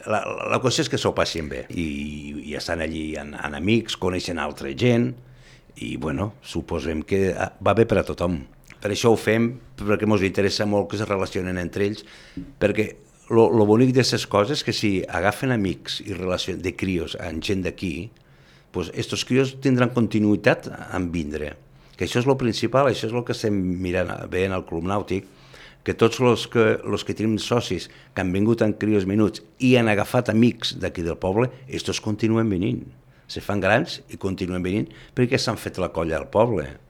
la qüestió és que s'ho passin bé i estan allí en amics, coneixen altra gent i, bueno, suposem que va bé per a tothom. Per això ho fem, perquè ens interessa molt que es relacionen entre ells, perquè lo bonic d'aquestes coses és que si agafen amics i de crios amb gent d'aquí, pues estos crios tindran continuïtat en vindre. Que això és el principal, això és el que estem mirant, veient al Club Nàutic, que tots els que tenim socis que han vingut en crios menuts i han agafat amics d'aquí del poble, estos continuen venint. Se fan grans i continuen venint perquè s'han fet la colla al poble.